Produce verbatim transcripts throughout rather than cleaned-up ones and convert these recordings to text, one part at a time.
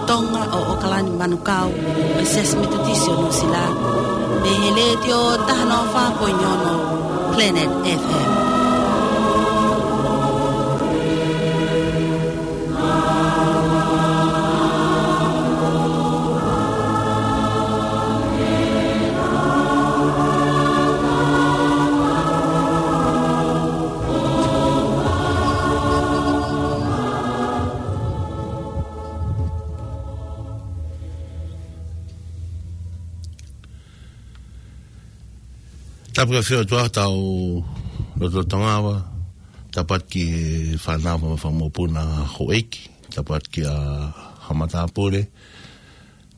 Tonga ʻo ʻOkalani Manukau, ʻo e Siasi Metotisi ʻo Nuʻusila, mei he Letiō taha noa fā poini ono Planet F M. Tapu ki he ʻOtua ʻi hotau lotolotonga, tapu atu ki he fānau mo e fanga mokopuna houʻeiki, tapu atu kia Haʻa Matāpule,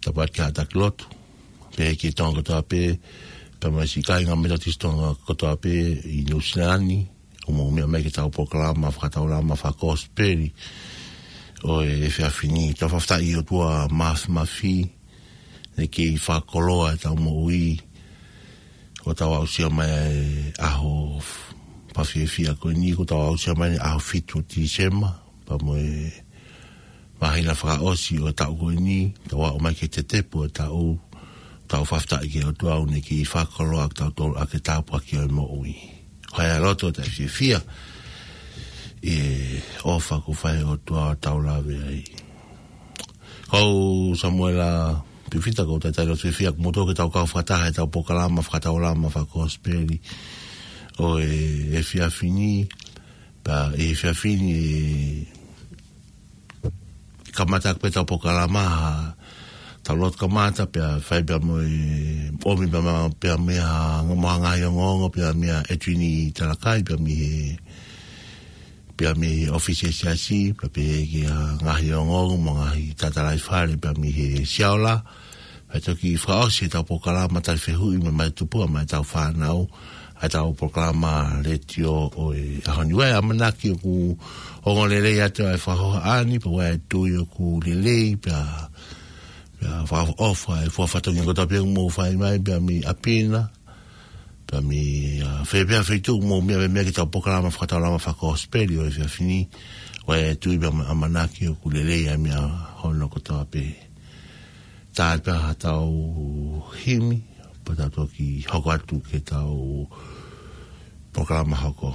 tapu atu ki he Haʻa Taki Lotu, pehē ki he Tonga kotoa pē, pea mo e siʻi kāinga Metotisi Tonga kotoa pē ʻi Nuʻusila ni, ʻoku mou meʻa mai ki heʻetau polokalama fakataulama fakakosipeli ʻo e efiafi ni. Tau fakafetaʻi ki he ʻOtua Māfimafi, naʻe kei fakakoloa ʻetau moʻui, kuo tau aʻusia mai e ʻaho f-, fakafiefia ko eni, kuo tau aʻusia mai e ʻaho fitu ʻo Tīsema, pea mo e māhina fakaʻosi ʻo e taʻu ko eni, tau aʻu mai ki he tetepu ʻo e taʻu, tau fakafetaʻi ki he ʻOtua ʻoku ne kei fakakoloa kitautolu ʻaki e tāpuaki ʻo e moʻui. Ko e loto taʻefiefia ʻi he ʻofa kuo fai ʻe he ʻOtua ʻo tau lave ai. Ko au Samuela Pifita, ʻoku ou talitali loto fiefia ʻoku mou toki tau kau fakataha heʻetau polokalama fakataulama fakakosipeli ʻo e efiafi ni, pea ʻi he efiafi ni, kamata pē ʻetau polokalama, ha tau lotu kamata, pea fai pea mo e ʻomi pea ma-, pea mei ha ngaahi ongoongo, pea mei he ʻEtuini Talakai, pea mei he, pea mei he ʻōfisi ʻo e Siasi, pea pehē ki ha ngaahi ongoongo mo e ngaahi tatalaifale, pea mei he Siaola, pea toki fakaʻosi ʻetau polokalama tali fehuʻi mo e mate tupu maʻa ʻetau fānau, ʻa ʻetau polokalama letiō ʻo e ʻaho ni. ʻOku ʻamanaki ʻoku ongo lelei atu ʻa e fakahohaʻa ni, pea ʻoku tui ʻoku lelei, pea, pea fakaʻofoʻofa e fua fatongia kotoa pē ʻoku mou fai mai, pea mei ʻapi na, pea mei, ʻa, fē pē ha feituʻu ʻoku mou meʻa, meʻa mai ki heʻetau polokalama fakataulama fakakosipeli ʻo e efiafi ni, ʻoku tui pea ʻamanaki ʻoku lelei ʻa e meʻa hono kotoa pē. Tau pehē ha tau himi, pea tau toki hoko atu ki heʻetau polokalama hoko.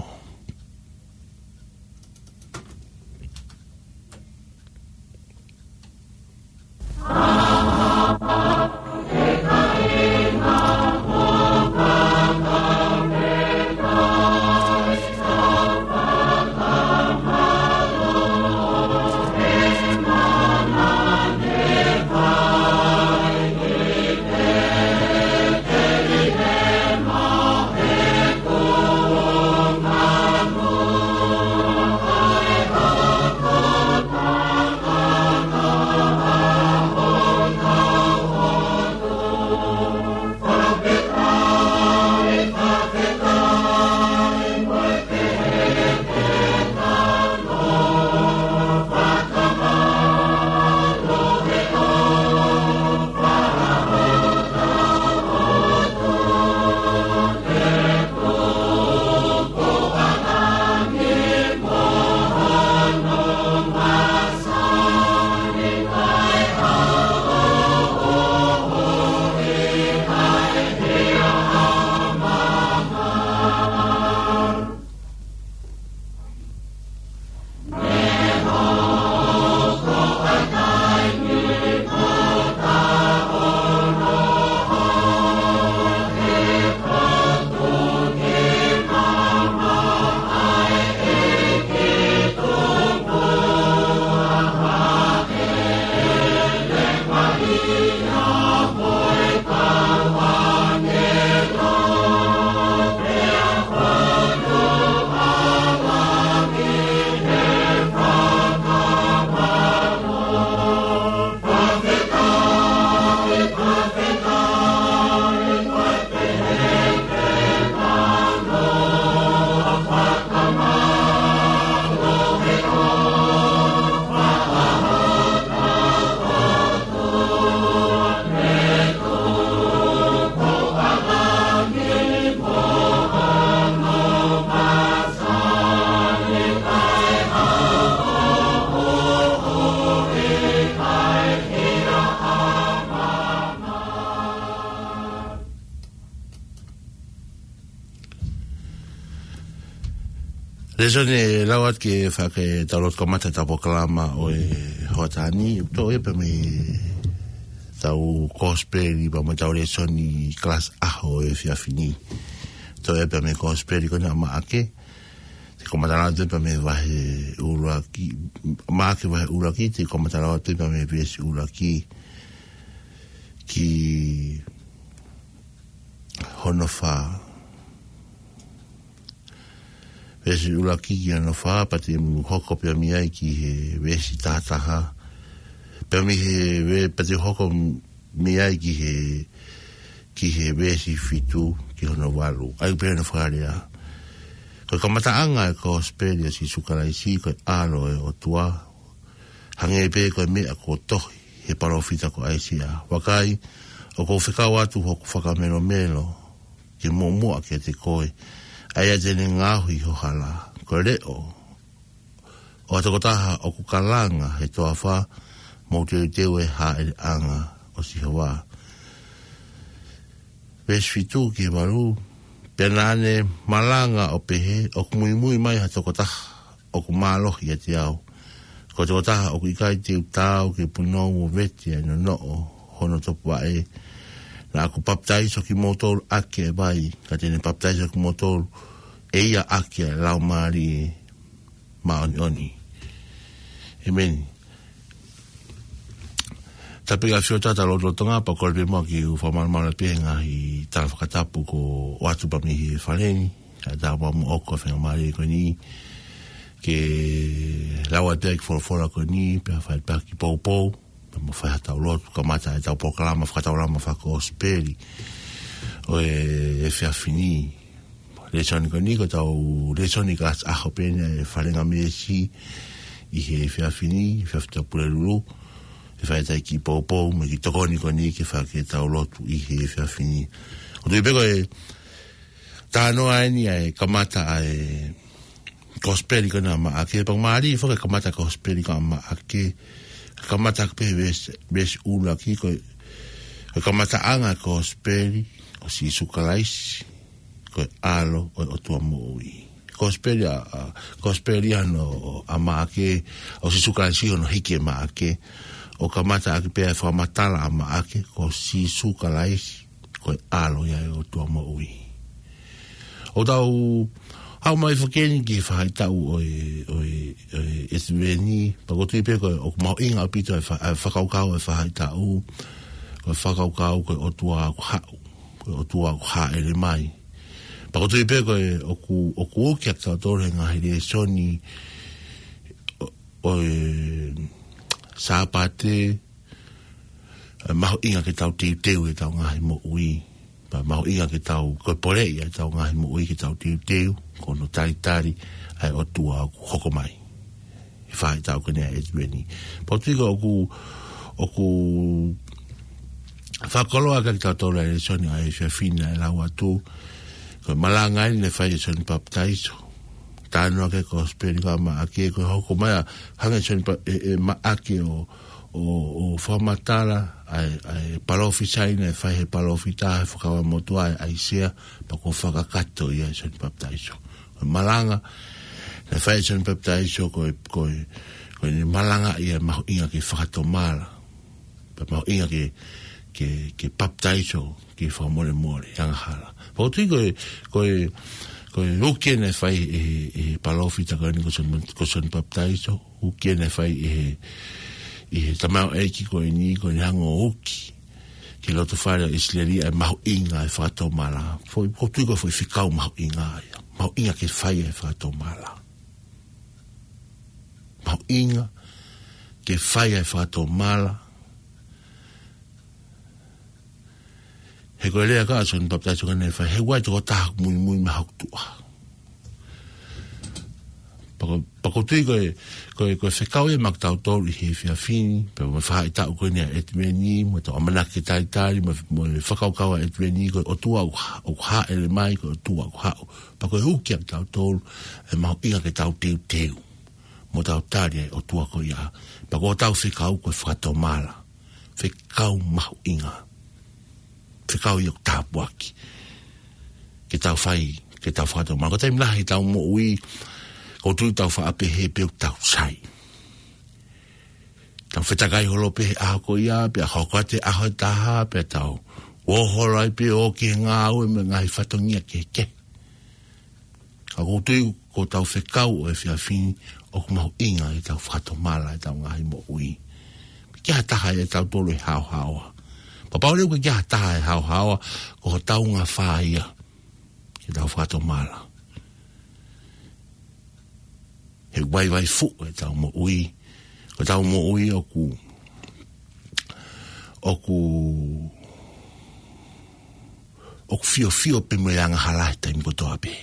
Lēsoni ʻe lau atu ke fai ke tau lotu kamata ʻetau polokalama ʻo e hoʻatā ni, ʻoku toʻo ia pē mei heʻetau kosipeli pea mo ʻetau lēsoni kalasi ʻaho ʻo e efiafi ni. Toʻo ia pē mei he kosipeli ko ena ʻa Maʻake, te u kamata lau atu pē mei he vahe ʻuluaki, Maʻake vahe ʻuluaki, te u kamata lau atu pē mei he veesi ʻuluaki ki hono fā. Veesi ʻuluaki ki hono fā, pea te u hoko pē mei ai ki he veesi taha taha. Pea mei he ve-, pea te u hoko mei ai ki he, ki he veesi fitu ki hono valu. ʻA ia ʻoku pehē hono fakalea: Ko e kamataʻanga ʻo e kosipeli ʻo Sīsū Kalaisi, ko e ʻAlo ʻo e ʻOtua, hangē pē ko e meʻa kuo tohi ʻe he palōfita ko ʻAisea: Vakai, ʻoku ou fekau atu hoku fakamelomelo ke muʻomuʻa kiate koe, ʻa ia te ne ngaohi ho hala. Ko e leʻo ʻo ha tokotaha ʻoku kalanga he toafa, mou teuteu ʻa e hāʻeleʻanga ʻo Sihova. Veesi fitu ki he valu: Pea naʻa ne malanga ʻo pehē, ʻOku muimui mai ha tokotaha ʻoku mālohi ʻiate au, ko e tokotaha ʻoku ʻikai te u taau ke punou ʻo vete ʻa e nonoʻo hono topuvaʻe. Naʻa ku papitaiso kimoutolu ʻaki ʻa e vai, ka te ne papitaiso kimoutolu ʻe ia ʻaki ʻa e Laumālie Māʻoniʻoni. ʻĒmeni. Tapu ki he ʻAfio, tau lotu lolotonga, pea kole pē muʻa ke u fakamalumalu pē he ngaahi tala fakatapu kuo ʻoatu pē mei he fale ni, ʻa e tau pea mo ʻoku faingamālie ko eni ke lau atu ʻa e kiʻi folofola ko eni, pea fai pē ha kiʻi poupou, pea mo fai haʻatau lotu kamata ʻetau polokalama fakataulama fakakosipeli ʻo e efiafi ni. Lēsoni ko eni ko ʻetau lēsoni kalasi ʻaho pē eni ʻa e Falengamesi ʻi he efiafi ni, efiafi Tuʻapulelulu. ʻE fai ʻetau kiʻi poupou mo e kiʻi tokoni ko eni ke fai ki heʻetau lotu ʻi he efiafi ni. ʻOku ou tui pē ko e talanoa eni ʻa e kamata ʻa e kosipeli ko ena ʻa Maʻake, pea ʻoku mālie foki e kamata kosipeli ko ena ʻa Maʻake, kamata pē veesi, veesi ʻuluaki, ko e, ko e kamataʻanga kosipeli ʻo Sīsū Kalaisi, ko e ʻAlo ʻo e ʻOtua moʻui. Kosipeli ʻa, ʻa, kosipeli ʻa hono, ʻa Maʻake, ʻo Sīsū Kalaisi hono hiki ʻe Maʻake, ʻo kamata ʻaki pē ʻa e fakamatala ʻa Maʻake, ko Sīsū Kalaisi ko e ʻAlo ia ʻo e ʻOtua moʻui. ʻOku tau haʻu mai foki eni ki he faʻahitaʻu ʻo e, ʻo e, ʻo e ʻEtiveni, pea ʻoku ou tui pē ko e, ʻoku mahuʻinga ʻaupito e fa-, e fakakaukau e faʻahitaʻu, ko e fakakaukau ko e ʻOtua ʻoku haʻu, ko e ʻOtua ʻoku hāʻele mai. Pea ʻoku ou tui pē ko e ʻoku, ʻoku uki ʻa kitautolu he ngaahi lēsoni ʻo, ʻo e Sāpate, ʻa e mahuʻinga ke tau teuteu ʻetau ngaahi moʻui. Pea mahuʻinga ke tau, ko e poleʻi ʻetau ngaahi moʻui ke tau teuteu, ko hono talitali ʻa e ʻOtua ʻoku hoko mai. ʻI he faʻahitaʻu ko eni ʻa e ʻEtiveni. Pea ʻoku ou tui ko ʻoku, ʻoku fakakoloa kia kitautolu ʻa e lēsoni ʻa e efiafi ni ʻa e lau atu, ko e malanga eni naʻe fai ʻe Sione Papitaiso. Talanoa ki he kosipeli ko ena ʻa Maʻake, ko e hoko mai ʻa, hanga ʻe Sione Pa-, ʻe, ʻe Maʻake ʻo, ʻo, ʻo fakamatala ʻa e, ʻa e palōfisai naʻe fai ʻe he palōfita he Fuakava Motuʻa ʻa ʻAisea, pea kuo fakakakato ia ʻe Sione Papitaiso. Ko e malanga naʻe fai ʻe Sione Papitaiso, ko e, ko e, ko ʻene malanga ia mahuʻinga ke fakatomala. Pea mahuʻinga ke, ke, ke papitaiso, ke fakamolemole angahala. Pea ʻoku ou tui ko e, ko e, ko e uki eni naʻe fai ʻe he, ʻe he palōfita ko eni ko Sione, ko Sione Papitaiso, uki eni naʻe fai ʻe he, ʻe he tamaioʻeiki ko eni, ko ʻene hanga ʻo uki ki he lotofale ʻo ʻIsileli ʻa e mahuʻinga e fakatomala. Foʻi, ʻoku ou tui ko e foʻi fekau mahuʻinga ia. Mahuʻinga ke fai e fakatomala. Mahuʻinga ke fai e fakatomala. He ko e lea ʻa Sione Papitaiso ko eni naʻe fai, he ʻoku ʻi ai e tokotaha ʻoku muimui mai hoku tuʻa. Pea ʻoku, pea ʻoku ou tui ko e, ko e, ko e fekau ia maʻa kitautolu ʻi he efiafi ni, pea mo e faʻahitaʻu ko eni ʻa e ʻEtiveni, mo ʻetau ʻamanaki talitali, mo, mo e fakakaukau ʻa e ʻEtiveni, ko e ʻOtua ʻoku ha-, ʻoku hāʻele mai, ko e ʻOtua ʻoku haʻu. Pea ko e uki ʻa kitautolu, ʻa e mahuʻinga ke tau teuteu mo tau tali ʻa e ʻOtua ko ia. Pea ko hotau fekau ko e fakatomala. Fekau mahuʻinga. Fekau ia ʻoku tāpuaki ke tau fai, ke tau fakatomala. Ko e taimi lahi ʻetau moʻui, ʻOku ou tui tau faʻa pehē pē ʻoku tau sai. Tau fetakai holo pē he ʻaho ko ia, pea hoko atu e ʻaho ʻe taha, pea tau ō holo ai pē ʻo ki he ngāue mo e ngaahi fatongia kehekehe. Ka ʻoku ou tui ko ʻetau fekau ʻo e efiafi ni ʻoku mahuʻinga ke tau fakatomala ʻetau ngaahi moʻui. Ke ʻi ai ha taha ʻiate kitautolu ʻe haohaoa. Kapau leva ʻoku ʻikai ke ʻi ai ha taha ʻe haohaoa, ko hotau ngafa ia ke tau fakatomala. He vaivai fuʻu ʻetau moʻui. Ko ʻetau moʻui ʻoku, ʻoku, ʻoku fiofio pē mo e angahala he taimi kotoa pē.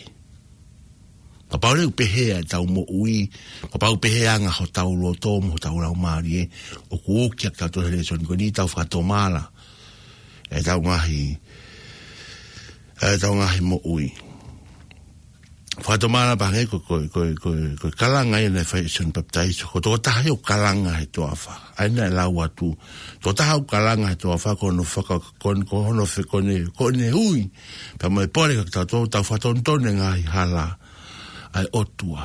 Kapau leva ʻoku pehē ʻetau moʻui, kapau ʻoku pehē ʻa e anga hotau loto mo hotau laumālie, ʻoku uki ʻa kitautolu he lēsoni ko eni, tau fakatomala ʻetau ngaahi, ʻetau ngaahi moʻui. Fakatomala pē hangē ko, ko, ko, ko, ko e kalanga ia naʻe fai ʻe Sione Papitaiso. Ko e tokotaha ia ʻoku kalanga he toafa. ʻA ia naʻe lau atu, tokotaha ʻoku kalanga he toafa ko hono faka-, ko, ko hono fe-, ko ʻene, ko ʻene ui pea mo e pole kia kitautolu ke tau fakatonutonu e ngaahi hala ʻa e ʻOtua.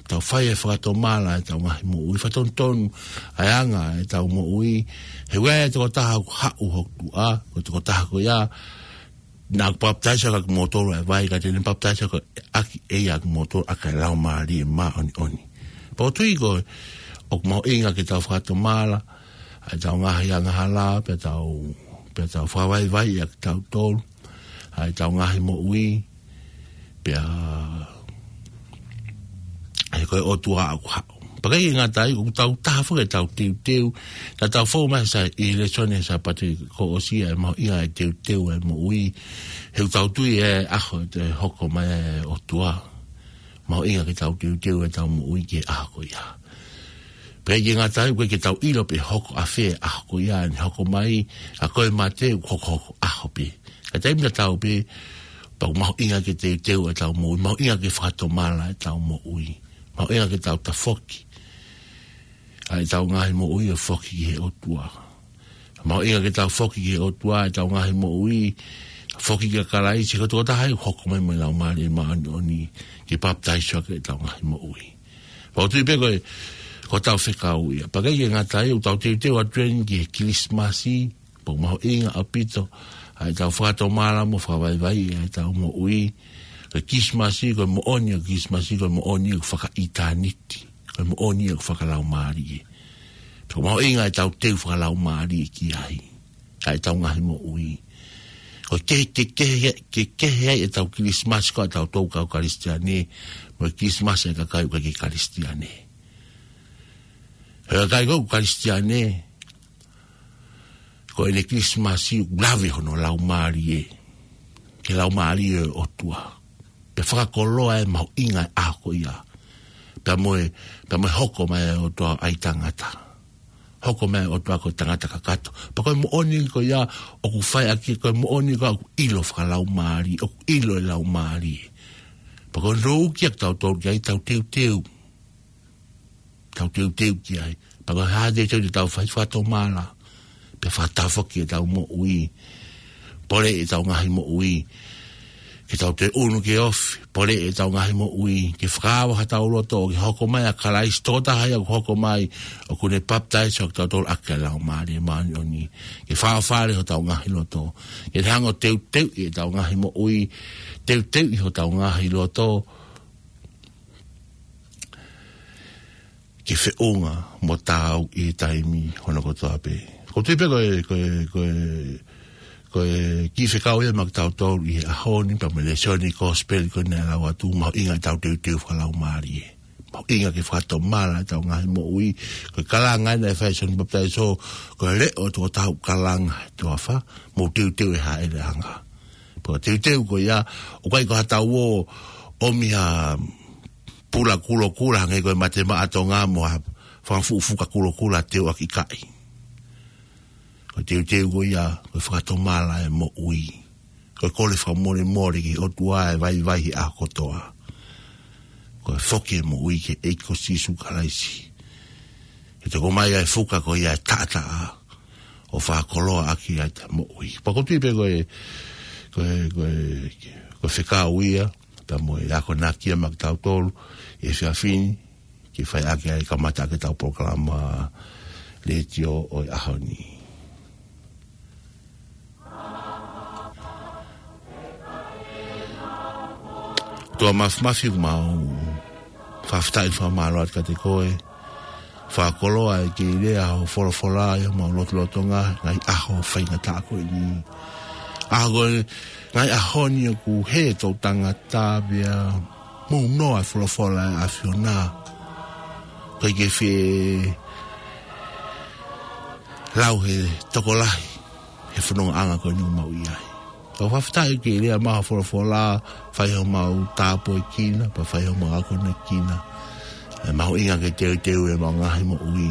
Tau fai e fakatomala ʻetau ngaahi moʻui, fakatonutonu ʻa e anga ʻetau moʻui. He ʻoku ʻi ai e tokotaha ʻoku haʻu hoku tuʻa, ko e tokotaha ko ia naʻa ku papitaiso ʻaki ʻa kimoutolu ʻaki e vai, ka te ne papitaiso ʻaki ʻe ia ʻa kimoutolu ʻaki ʻa e Laumālie Māʻoniʻoni. Pea ʻoku ou tui ko ē ʻoku mahuʻinga ke tau fakatomala ʻetau ngaahi angahala, pea tau, pea tau fakavaivaiʻi ʻa kitautolu, ʻetau ngaahi moʻui, pea he ko e ʻOtua ʻoku haʻu. Pea ʻikai ke ngata ai, ʻoku tau taha foki ʻetau teuteu, naʻa tau fou mai he Sā-, ʻi he lēsoni he Sāpate kuo ʻosi, ʻa e mahuʻinga e teuteu e moʻui, he ʻoku tau tui ʻe ʻi ai e ʻaho ʻe hoko mai ai e ʻOtua. Mahuʻinga ke tau teuteu ʻetau moʻui ki he ʻaho ko ia. Pea ʻikai ke ngata ai, ʻoku ʻikai ke tau ʻilo pe hoko ʻafē e ʻaho ko ia, ʻe hoko mai, ʻa ko e mate ʻoku hokohoko ʻaho pē. Ka taimi tatau pē, pea ʻoku mahuʻinga ke teuteu ʻetau moʻui, mahuʻinga ke fakatomala ʻetau moʻui, mahuʻinga ke tau tafoki ʻa ʻetau ngaahi moʻui ʻo foki ki he ʻOtua. Mahuʻinga ke tau foki ki he ʻOtua ʻetau ngaahi moʻui, foki kia Kalaisi, ko e tokotaha ia ʻoku hoko mai mo e Laumālie Māʻoniʻoni ke papitaiso ʻaki ʻetau ngaahi moʻui. Pea ʻoku ou tui pē ko e, ko ʻetau fekau ia. Pea ʻikai ke ngata ai, ʻoku tau teuteu atu eni ki he Kilisimasi, pea ʻoku mahuʻinga ʻaupito ʻa ʻetau fakatomala mo fakavaivaiʻi ʻetau moʻui. Ko e Kilisimasi, ko e moʻoni ʻo e Kilisimasi, ko e moʻoni ʻoku fakaʻitāniti. Ko e moʻoni ʻoku fakalaumālie. Pea ʻoku mahuʻinga ʻetau teu fakalaumālie ki ai ʻa ʻetau ngaahi moʻui. Ko e ke, ke, ke, ke, ke he ai ʻetau Kilisimasi ko ʻetau tau kau Kalisitiane, mo e Kilisimasi e kakai ʻoku ʻikai ke Kalisitiane. He kakai ko ē ʻoku Kalisitiane, ko ʻene Kilisimasi ʻoku lave hono laumālie ki he Laumālie ʻo e ʻOtua. Pea fakakoloa e mahuʻinga e ʻaho ko ia. Pea mo e, pea mo e hoko mai e ʻOtua ʻo ʻai tangata. Hoko mai e ʻOtua ko e tangata kakato. Pea ko e moʻoni ko ia ʻoku fai ʻaki, ko e moʻoni ko ia ʻoku ʻilo fakalaumālie, ʻoku ʻilo e laumālie. Pea ko e nounou kia kitautolu ke ʻai ʻetau teuteu. Tau teuteu ki ai. Pea ko e hā e teuteu te tau fai? Fakatomala. Pea fakatafoki ʻetau moʻui. Pole ʻetau ngaahi moʻui ke tau toe ʻunu ke ofi. Pole ʻetau ngaahi moʻui ke fakaava hotau loto, ke hoko mai ʻa Kalaisi, tokotaha ia ʻoku hoko mai, ʻoku ne papitaiso ʻaki kitautolu ʻaki e Laumālie Māʻoniʻoni. Ke fafale hotau ngaahi loto. Ke hanga ʻo teuteuʻi ʻetau ngaahi moʻui, teuteuʻi hotau ngaahi loto ke feʻunga mo taau ʻi he taimi hono kotoa pē. ʻOku ou tui pē ko e, ko e, ko e, ko e kiʻi fekau ia maʻa kitautolu ʻi he ʻaho ni, pea mo e lēsoni Kosipeli ko eni naʻe lau atu, mahuʻinga ʻetau teuteu fakalaumālie. Mahuʻinga ke fakatomala ʻetau ngaahi moʻui. Ko e kalanga naʻe fai ʻe Sione Papitaiso, ko e leʻo ʻo e tokotaha ʻoku kalanga he toafa, mou teuteu ʻi he hāʻele anga. Pea ko e teuteu ko ia, ʻoku ʻikai ko haʻatau ō ʻomi ha pula kulokula, hangē ko e Mate Maʻa Tonga mo ha fanga fuʻu fuka kulokula teuʻaki kaʻi. Ko e teuteu ko ia, ko e fakatomala e moʻui. Ko e kole fakamolemole ki he ʻOtua ʻe vaivai he ʻaho kotoa. Ko e foki e moʻui ki he ʻEiki ko Sīsū Kalaisi. Ke toko mai ʻa e fuka ko ia ʻe taʻataʻa ʻo fakakoloa ʻaki ʻa ʻetau moʻui. Pea ʻoku ou tui pē ko e, ko e, ko e, ko e fekau ia, Pea mo e akonaki ia maʻa kitautolu he efiafi ni, ke fai ʻaki ai e kamata ʻaki ʻetau polokalama letiō ʻo e ʻaho ni. ʻOtua Māfimafi, ʻoku mau fakafetaʻi mo fakamālō atu kiate koe. Fakakoloa ʻa e kei lea ʻa ho folofola ʻi homau lotolotonga, ngaahi ʻaho faingataʻa ko eni. ʻAho ko ē, ngaahi ʻaho ni ʻoku hē e toʻutangata pea mou noa e folofola ʻa e ʻAfiona. ʻOku ʻikai ke fie lau he tokolahi he fonongaʻanga ko eni ʻoku mau ʻi ai. Ka ʻoku fakafetaʻi ke lea mai ho folofola, fai homau tāpuekina, pea fai homau akonekina. ʻE mahuʻinga ke teuteu ʻemau ngaahi moʻui,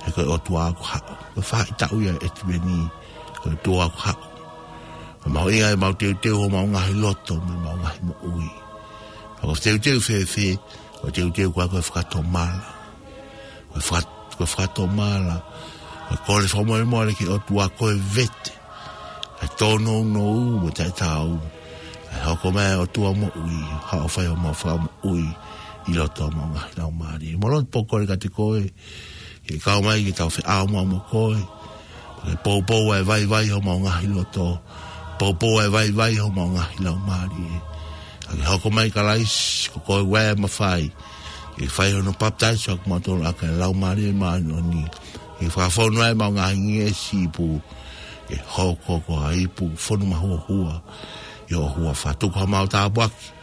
he ko e ʻOtua ʻoku haʻu. Ko e faʻahitaʻu ia ʻo e ʻEtiveni, ko e ʻOtua ʻoku haʻu. ʻE mahuʻinga ʻemau teuteu homau ngaahi loto mo ʻemau ngaahi moʻui. Ka ko e teuteu fēfē? Ko e teuteu ko ia ko e fakatomala. Ko e faka-, ko e fakatomala. Ko e kole fakamolemole ki he ʻOtua, ko e vete ʻa e tōnounou mo e taʻetaau. ʻE hoko mai ʻa e ʻOtua moʻui, haʻu ʻo fai homau fakamoʻui ʻi loto ʻo homau ngaahi laumālie. Mo loto pōkole kiate koe, ke kau mai ke tau feʻao mo koe. Ke poupou ʻa e vaivai homau ngaahi loto. Poupou ʻa e vaivai homau ngaahi laumālie. Ka ke hoko mai Kalaisi, ko koe ʻa e mafai. Ke fai hono papitaiso ʻa kimautolu ʻaki ʻa e Laumālie Māʻoniʻoni. Ke fakafonu ʻa ʻemau ngaahi ngeʻesi ipu. Ke hoko ko ha ipu fonu mahuohua ʻi ho huafa. Tuku haʻamau tāpuaki.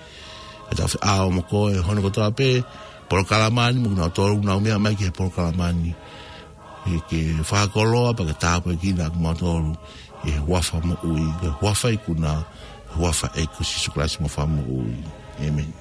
ʻA e tau feʻao mo koe, hono kotoa pē, polokalama ni mo kinautolu ʻoku nau meʻa mai ki he polokalama ni. Ke, ke fakakoloa pea ke tāpuekina ʻa kimautolu ʻi he huafa moʻui, ʻi he huafa ikuna, huafa ʻo e ʻEiki ko Sīsū Kalaisi mo e Fakamoʻui. ʻĒmeni.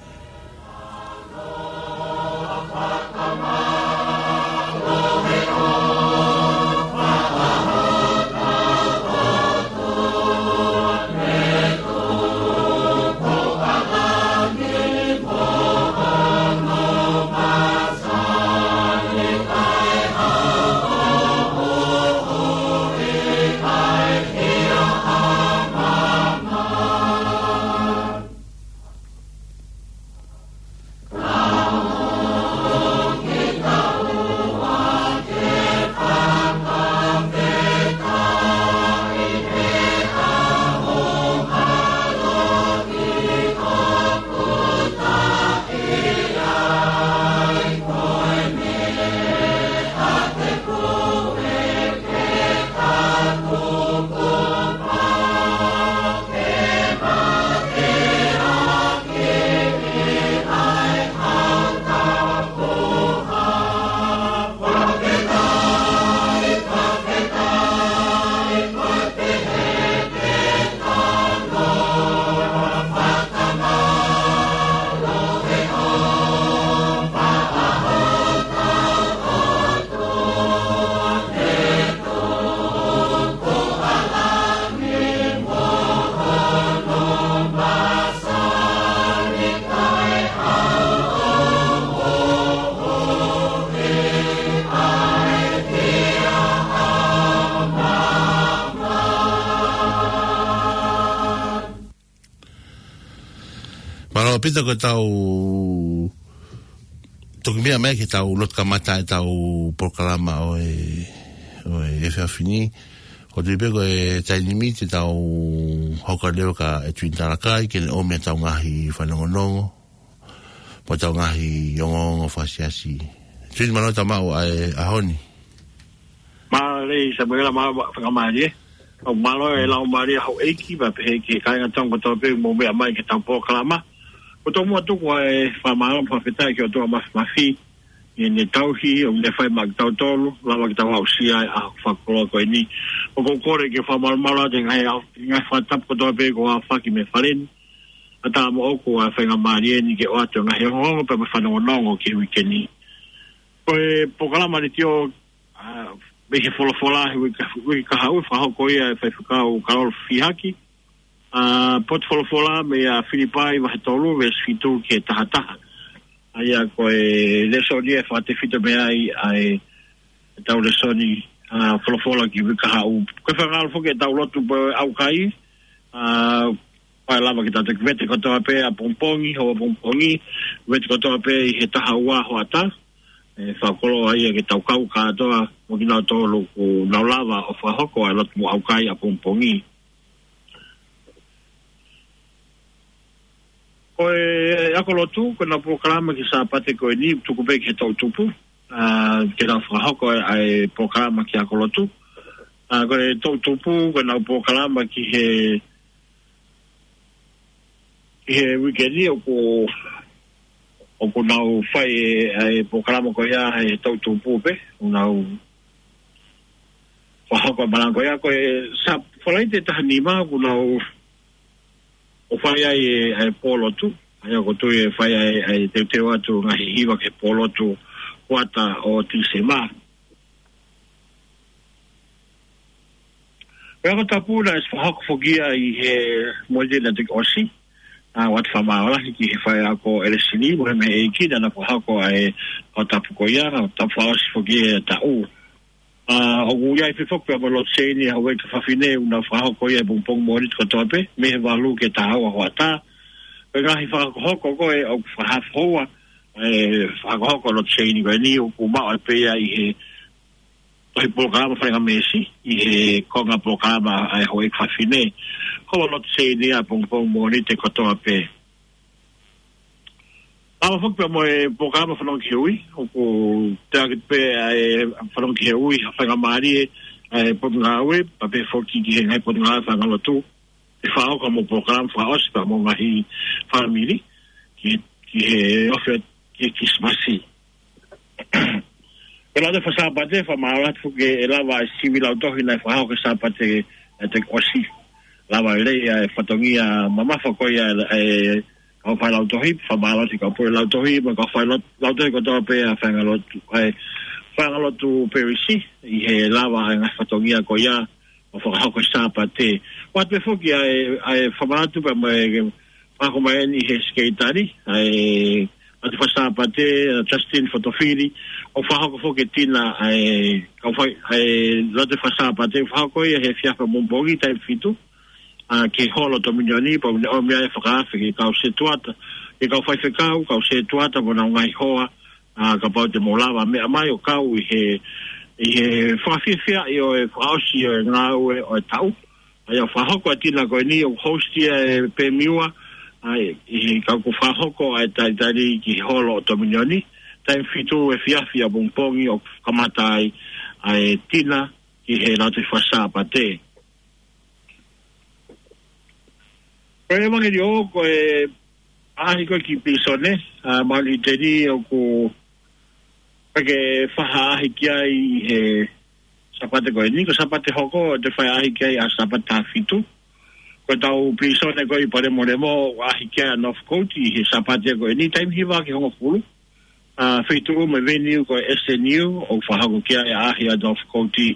Mālō ʻaupito ko ʻetau toki meʻa mai ki heʻetau lotu kamata ʻetau polokalama ʻo e, ʻo e efiafi ni. ʻOku tui pē ko e taimi ni te tau hoko leva kia ʻEtuini Talakai ke ne ʻomi ʻetau ngaahi fanongonongo mo ʻetau ngaahi ongoongo fakasiasi. ʻEtuini, mālō e tau maʻu ʻa e ʻaho ni. Mālō Samuela, mālō fakamālie. ʻOku mālō e Laumālie ʻa houʻeiki, pea pehē ki he kāinga Tonga kotoa pē ʻoku mou meʻa mai ki heʻetau polokalama. ʻOku tau muʻa tuku ʻa e fakamālō mo e fakafetaʻi ki he ʻOtua Māfimafi, ʻi heʻene tauhi ʻoku ne fai maʻa kitautolu, lava ke tau aʻusia ʻa e ʻaho fakakoloa ko eni. ʻOku ou kole ke fakamālōmālō atu he ngaahi, ngaahi fakatapu kotoa pē kuo aofaki mei he fale ni, ʻatā moʻoku ʻa e faingamālie ni ke ʻoatu e ngaahi ongoongo pea mo e fanongonongo ki he uike ni. Ko e polokalama letiō, ʻa, mei he folofola he uike, uike kahaʻu, fakahoko ia ʻe Faifekau Kalolo Fihaki. ʻA, potu folofola meia Filipai vahe tolu, veesi fitu ki he taha taha. ʻA ia ko e lēsoni ʻe fakatefito mei ai ʻa e, ʻetau lēsoni, ʻa, folofola ki he uike kahaʻu. Ko e fakaʻamu foki ʻetau lotu pē ʻaukai, ʻa, Kae lava ke tau toki vete kotoa pē ʻapongipongi, hoʻapongipongi, vete kotoa pē ʻi he taha ua hoʻatā. ʻE fakakoloa ia ke tau kau kātoa mo kinautolu ʻoku nau lava ʻo fakahoko ʻa e lotu mo ʻaukai ʻapongipongi. Ko e ako lotu, ko ʻenau polokalama ki he Sāpate ko eni, tuku pē ki he toʻutupu, ʻa, ke nau fakahoko ʻa e polokalama ki he ako lotu. ʻA, ko e toʻutupu, ko ʻenau polokalama ki he, ki he uike ni ʻoku, ʻoku nau fai ʻa e polokalama ko ia he toʻutupu pē, ʻoku nau fakahoko ʻa e malanga ko ia, ko e Sā-, Falaite taha nima ʻoku nau ʻo fai ai ʻa e, ʻa e pō lotu, ʻa ia ʻoku ou tui ʻe fai ai ʻa e teuteu atu ngaahi hiva ki he pō lotu kuata ʻo Tīsema. Ko e ako tapu naʻe fakahoko foki ia ʻi he Mōnite naʻe toki ʻosi, ʻa, ʻoatu e fakamālō lahi ki he faiako ʻelesini, mo e mei he ʻEiki naʻa na fakahoko ʻa e ako tapu ko ia, ako tapu fakaʻosi foki ʻo e taʻu. ʻA, ʻoku ʻi ai pē foki pea mo e lotu teine ʻa Houʻeiki Fafine ʻoku nau fakahoko ia he pongipongi Mōnite kotoa pē, mei he valu ki he taha ua hoʻatā. Ko e ngaahi fakahokohoko ko ē ʻoku fakahoa, ʻe fakahoko lotu teine ko eni ʻoku maʻu ai pē ia ʻi he, ʻi he polokalama faingamālie, ʻi he konga polokalama ʻa Houʻeiki Fafine. Ko e lotu teine ia he pongipongi Mōnite kotoa pē. Lava foki pea mo e polokalama fanongo ki he ui, ʻoku teʻeki pē ʻa e fanongo ki he ui, ha faingamālie, ʻa e potungāue, pea pehē foki ki he ngaahi potungāue faiʻanga lotu. ʻE fakahoko mo e polokalama fakaʻosi pea mo e ngaahi fāmili, ki, ki he ofi ki he Kilisimasi. Ko e Lautohi Fakasāpate, fakamālō atu foki ʻe lava ʻa e sivi lautohi naʻe fakahoko he Sāpate naʻe toki ʻosi. Lava lelei ʻa e fatongia mamafa ko ia ʻa e kau failautohi, fakamālō atu ki he kau pule lautohi, mo e kau failau-, lautohi kotoa pē ʻa e faiʻanga lotu, ʻa e faiʻanga lotu Perisi, ʻi he lava ʻa e ngaahi fatongia ko ia ʻo fakahoko he Sāpate. ʻOatu pē foki ʻa e, ʻa e fakamanatu pea mo e fakahoko mai eni ʻe he Sekelitali ʻa e Lautohi Fakasāpate, ʻa Justin Fotofili, ʻo fakahoko foki e tina ʻa e kau fai, ʻa e Lautohi Fakasāpate, fakahoko ia he efiafi ʻapongipongi taimi fitu, ʻa, ki he holo Tominioni, pea ʻoku ne ʻomi ai e fakaafe ki he kau setuata, ki he kau faifekau, kau setuata, mo honau ngaahi hoa, ʻa, kapau te mou lava meʻa mai ʻo kau ʻi he, ʻi he fakafiefiaʻi ʻo e fakaʻosi ʻo e ngāue ʻo e taʻu. ʻA ia ʻoku fakahoko e tina ko eni ʻoku host ia ʻe Pemiua, ʻa, ʻi he kau ʻoku fakahoko ʻa e talitali ki he holo ʻo Tominioni, taimi fitu efiafi ʻapongipongi ʻoku kamata ai ʻa e tina ki he Lautohi Fakasāpate. Ko e ʻevangeliō, ko e ʻaʻahi ko ē ki pilīsone, ʻa, Maʻoliteni ʻoku ʻikai ke fai ha ʻaʻahi ki ai ʻi he Sāpate ko eni, ko e Sāpate hoko, te fai ʻaʻahi ki ai ʻa e Sāpate taha fitu. Ko ʻetau pilīsone ko ē ʻi Palemolemo, ʻaʻahi ki ai ʻa Northcote, ʻi he Sāpate ko eni, taimi hiva ki he hongofulu. ʻA, feituʻu mo e venue ko e S N U, ʻoku fakahoko ki ai ʻa e ʻaʻahi ʻa Northcote.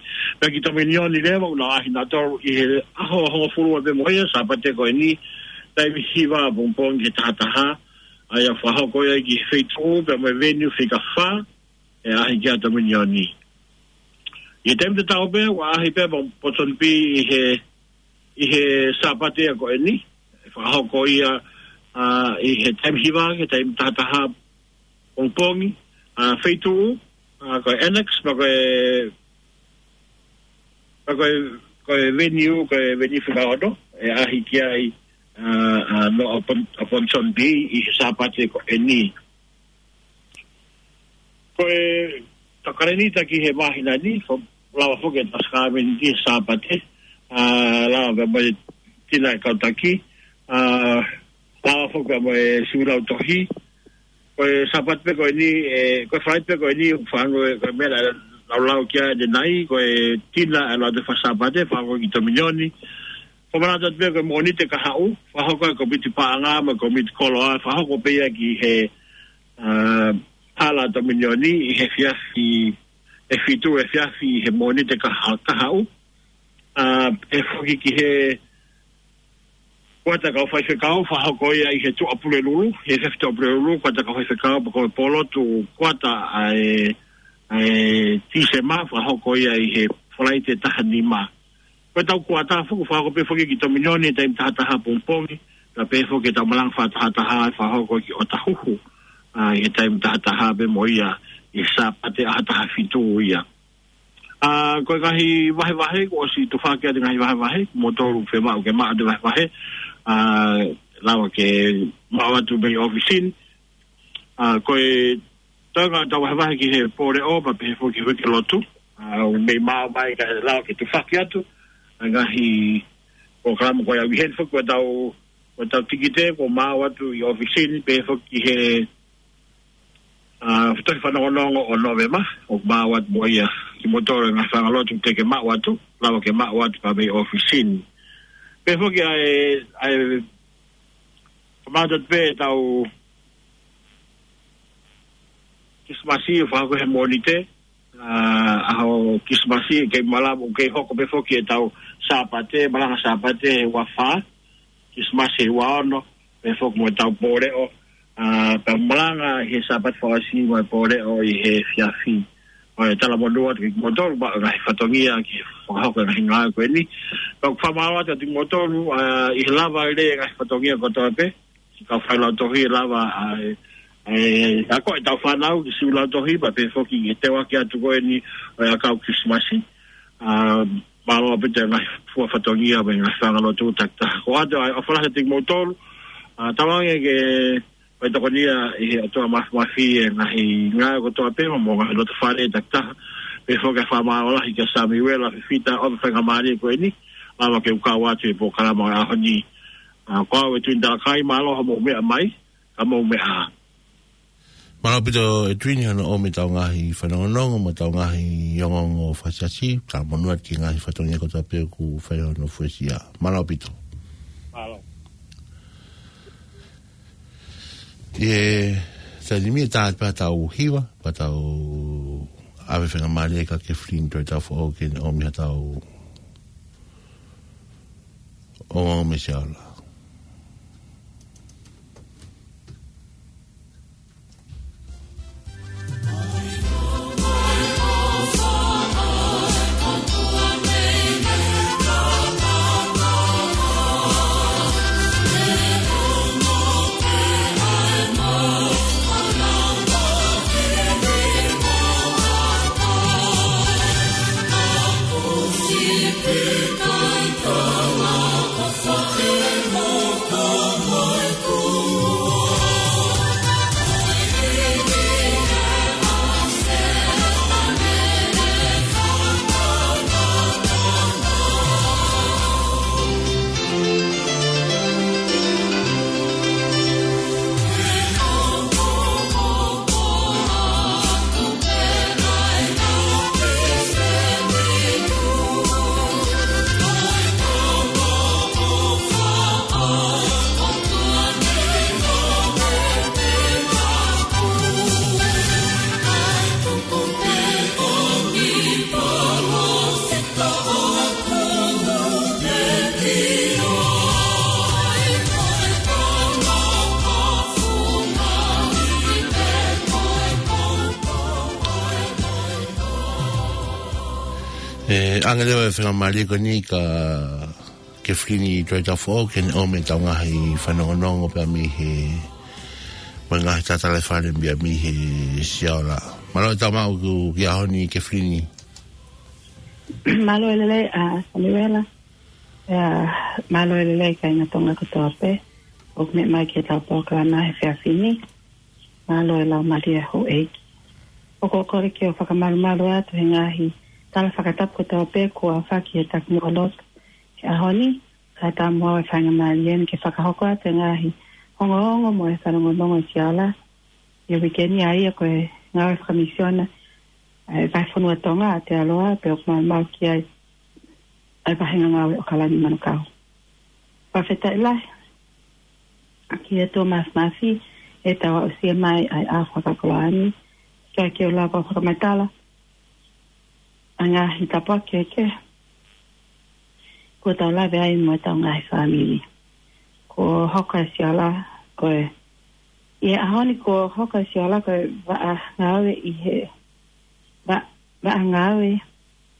Pea ki Tominioni leva, ʻoku nau ʻaʻahi nautolu ʻi he ʻaho hongofulu ua pē mo ia, Sāpate ko eni, taimi hiva ʻapongipongi ki he taha taha, ʻa ia ʻoku fakahoko ia ki he feituʻu, pea mo e venue fika fā, ʻe ʻaʻahi ki ai ʻa Tominioni. ʻI he taimi tatau pē, ʻoku ʻaʻahi pē ʻa Port John Bee ʻi he, ʻi he Sāpate ko eni, ʻe fakahoko ia, ʻa, ʻi he taimi hiva, ki he taimi taha taha pongipongi, ʻa, feituʻu, ʻa, ko e Annex, pea ko e, pea ko e, ko e venue, ko e venue fika ono, ʻe ʻaʻahi ki ai, ʻa, ʻa, no, ʻa Port, ʻa Port John Bee ʻi he Sāpate ko eni. Ko e tau kalēnita ki he māhina ni, fo-, lava foki ʻetau sākalamēniti he Sāpate, ʻa, lava pē mo e tina ʻa e kau taki, ʻa, lava foki pē mo e sivi lautohi. Ko e Sāpate pē ko eni, ʻe, ko e Falaite pē ko eni, ʻoku fānau ē, ko e meʻa naʻa laulau ki ai ʻanenai, ko e tina ʻa e Lautohi Fakasāpate, fakahoko ki Tominioni. Fakamanatu atu pē ko e Mōnite kahaʻu, fakahoko ʻe he kōmiti paʻanga mo e kōmiti koloa, fakahoko pē ia ki he, ʻa, hala Tominioni ʻi he efiafi, ʻe fitu efiafi he Mōnite kaha-, kahaʻu. ʻA, ʻe foki ki he kuata kau faifekau, fakahoko ia ʻi he Tuʻapulelulu, he efiafi Tuʻapulelulu, kuata kau faifekau, pea ko e pō lotu kuata ʻa e, ʻa e Tīsema, fakahoko ia ʻi he Falaite taha nima. Ko ʻetau kuata foki, fakahoko pē foki ki Tominioni, taimi taha taha pongipongi, Ka pehē foki ʻetau malanga fakatahataha ʻe fakahoko ki ʻOtahuhu, ʻa, ʻi he taimi tahataha pē mo ia, ʻi he Sāpate ʻaho taha fitu ia. ʻA, ko e ngaahi vahevahe, kuo ʻosi tufaki atu e ngaahi vahevahe, kimoutolu fiemaʻu ke maʻu atu e vahevahe, ʻa, lava ke maʻu atu mei ʻōfisi ni. ʻA, ko e toenga ʻetau vahevahe ki he pō leʻo, pea pehē foki ki he lotu. ʻA, ʻoku mei maʻu mai kae lava ke tufaki atu ʻa e ngaahi polokalama ko ia. ʻI heni foki ko ʻetau, ko ʻetau tikite kuo maʻu atu ʻi ʻōfisi ni, pehē foki ki he, ʻa, tohi fanongonongo ʻo Nōvema, ʻoku maʻu atu mo ia. Kimoutolu e ngaahi fanga lotu te ke maʻu atu, lava ke maʻu atu pē mei ʻōfisi ni. Pehē foki ʻa e, ʻa e, kamata pē ʻetau Kilisimasi ʻo fakahoko he Mōnite, ʻa, ʻaho Kilisimasi, kei malava, ʻoku kei hoko pē foki ʻetau Sāpate, malanga Sāpate he ua fā, Kilisimasi he ua ono, pehē foki mo ʻetau pō leʻo, ʻa, pea malanga he Sāpate fakaʻosi mo e pō leʻo ʻi he efiafi. ʻOku ou talamonū atu kimoutolu maʻu e ngaahi fatongia ke fakahoko e ngaahi ngāue ko eni. Pea ʻoku fakamālō atu kimoutolu, ʻa, ʻi he lava lelei e ngaahi fatongia kotoa pē, siʻi kau failautohi lava, ʻa, ʻa, ʻa, ko ʻetau fānau ki siʻi lautohi, pea pehē foki ki he teuaki atu ko eni ʻo e ʻakau Kilisimasi. ʻA, mālō ʻaupito e ngaahi fua fatongia mo e ngaahi fanga lotu takitaha. Ko ʻoatu ʻa e ʻofa lahi atu kimoutolu, ʻa, tauange ke fai tokoni ia ʻe he ʻOtua Māfimafi e ngaahi ngāue kotoa pē mo e ngaahi loto fale takitaha. Pehē foki e fakamālō lahi kia Samiuela Fifita ʻo e faingamālie ko eni, lava ke u kau atu he polokalama ʻo e ʻaho ni. ʻA, ko au Edwin Talakai, mālō hoʻomou meʻa mai, ka mou meʻa ā. Mālō ʻaupito Edwin hono ʻomi ʻetau ngaahi fanongonongo mo ʻetau ngaahi ongoongo fakasiasi, talamonū atu ki he ngaahi fatongia kotoa pē ʻoku fai hono fuesia. Mālō ʻaupito. Mālō. ʻI he taimi ni tā atu pē ʻetau hiva, pea tau ʻave faingamālie kia Kefilini Toitau Foʻou ke ne ʻomi haʻatau ongoongo mei Siaola. ʻE, ʻoange leva e faingamālie ko eni kia Kefilini Toitau Foʻou ke ne ʻomi ʻetau ngaahi fanongonongo pea mei he, mo e ngaahi tatala fale pea mei he Siaola. Mālō e tau maʻu ki he ʻaho ni Kefilini. Mālō e lelei, ʻa, Samiuela. ʻIa, mālō e lelei kāinga Tonga kotoa pē ʻoku meʻa mai ki heʻetau polokalama he efiafi ni. Mālō e laumālie houʻeiki. ʻOku ou kole ke u fakamalumalu atu he ngaahi tala fakatapu kotoa pē kuo aofaki he takimuʻa lotu he ʻaho ni, kae ʻatā mo au e faingamālie ni ke fakahoko atu e ngaahi ongoongo mo e fanongonongo ʻi Siaola ʻi he uike ni, ʻa ia ko e ngāue fakamisiona ʻa e Vahefonua Tonga ʻa Aotearoa, pea ʻoku malumalu ki ai ʻa e Vahenga Ngāue ʻAokalani Manukau. Fakafetaʻi lahi ki he ʻOtua Māfimafi heʻetau aʻusia mai ʻa e ʻaho fakakoloa ni, kae ke u lava ʻo fakamatala ʻa e ngaahi tāpuaki kehekehe kuo tau lave ai mo ʻetau ngaahi fāmili. Kuo hoko ʻa Siaola ko e, ʻi he ʻaho ni kuo hoko ʻa Siaola ko e vaʻa ngāue ʻi he, va-, vaʻa ngāue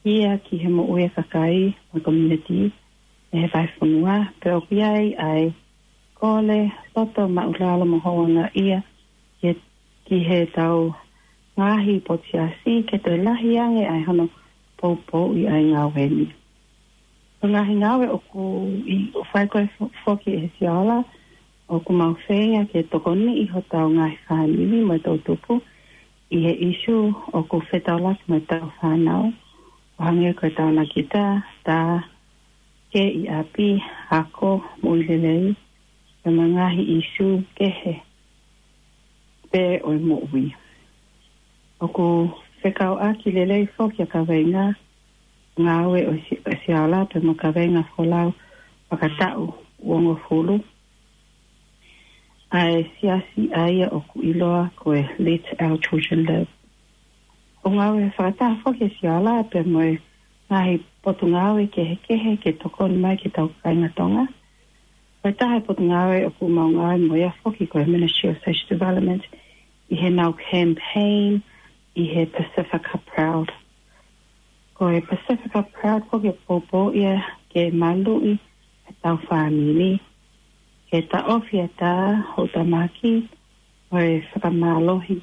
ia ki he moʻui ʻa e kakai mo e community ʻi he vahefonua, pea ʻoku ʻi ai ʻa e kole, loto maʻulalo mo houngaʻia ke ki heʻetau ngaahi potu siasi ke toe lahi ange ai hono poupouʻi ʻa e ngāue ni. Ko e ngaahi ngāue ʻoku ʻi, ʻoku fai ko ē fo-, foki ʻe Siaola, ʻoku mau feinga ke tokoniʻi hotau ngaahi fāmili mo e toʻutupu ʻi he ʻisu ʻoku fetaulaki mo ʻetau fānau, ʻo hangē ko e taonakita, tā, kē ʻi ʻapi, ako, moʻui lelei, pea mo e ngaahi ʻisu kehe pē ʻo e moʻui. ʻOku fekauʻaki lelei foki ʻa e kaveinga ngāue ʻo Si-, ʻo Siaola pea mo e kaveinga folau fakataʻu uongofulu ʻa e siasi ʻa ia ʻoku ʻiloa ko e Let Our Children Live. ʻOku ngāue fakataha foki ʻa Siaola pea mo e ngaahi potungāue kehekehe ke tokoni mai ki heʻetau kāinga Tonga. Ko e taha e potungāue ʻoku mau ngāue mo ia foki ko e Ministry of Social Development ʻi heʻenau campaign ʻi he Pacifica Proud. Ko e Pacifica Proud foki ʻoku poupouʻi ia ke maluʻi ʻetau fāmili, ke taʻofi ʻa e tā ʻo e tamaki, ʻo e fakamālohi